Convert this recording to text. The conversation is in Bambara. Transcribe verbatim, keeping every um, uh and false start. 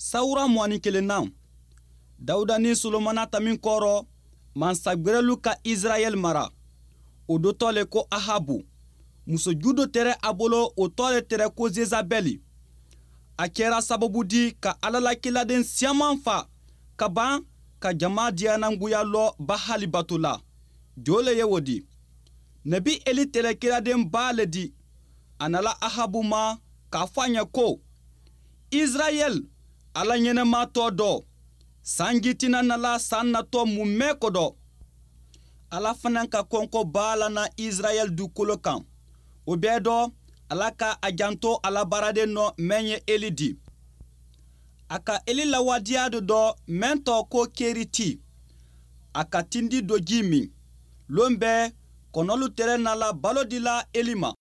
Sawura mugan ni kelennan, Dawuda ni Solomana ta min kɔrɔ, mansagwɛrɛlu ka Israɛl mara, o dɔ tɔ le ko Ahabu. Musoju dɔ tɛrɛ a bolo, o tɔ le tɛrɛ ko Zezabɛli. A kɛra sababu di ka Ala la kiladen siyaman fa ka ban ka jama diyanangoya lɔ Bahali bato la. Jo le ye o di? Nabi Eli tɛrɛ kiladen ba le di. A nala Ahabu ma k'a fɔ a ɲɛ ko Israɛl Ala ɲɛnɛma tɔ dɔ, sanji tɛna nala san natɔ mumɛ kɔdɔ. Ala fana ka kɔnkɔ b'a la na Israɛl dukolo kan. O bɛɛ dɔ, Ala ka a janto a la baaraden nɔ mɛn ye Eli di. A ka Eli lawadiya dɔ dɔ mɛn tɔ ko Keriti, a ka tindi dɔ ji min. Lon bɛɛ, kɔnɔlu tɛrɛ nala balo dila Eli ma.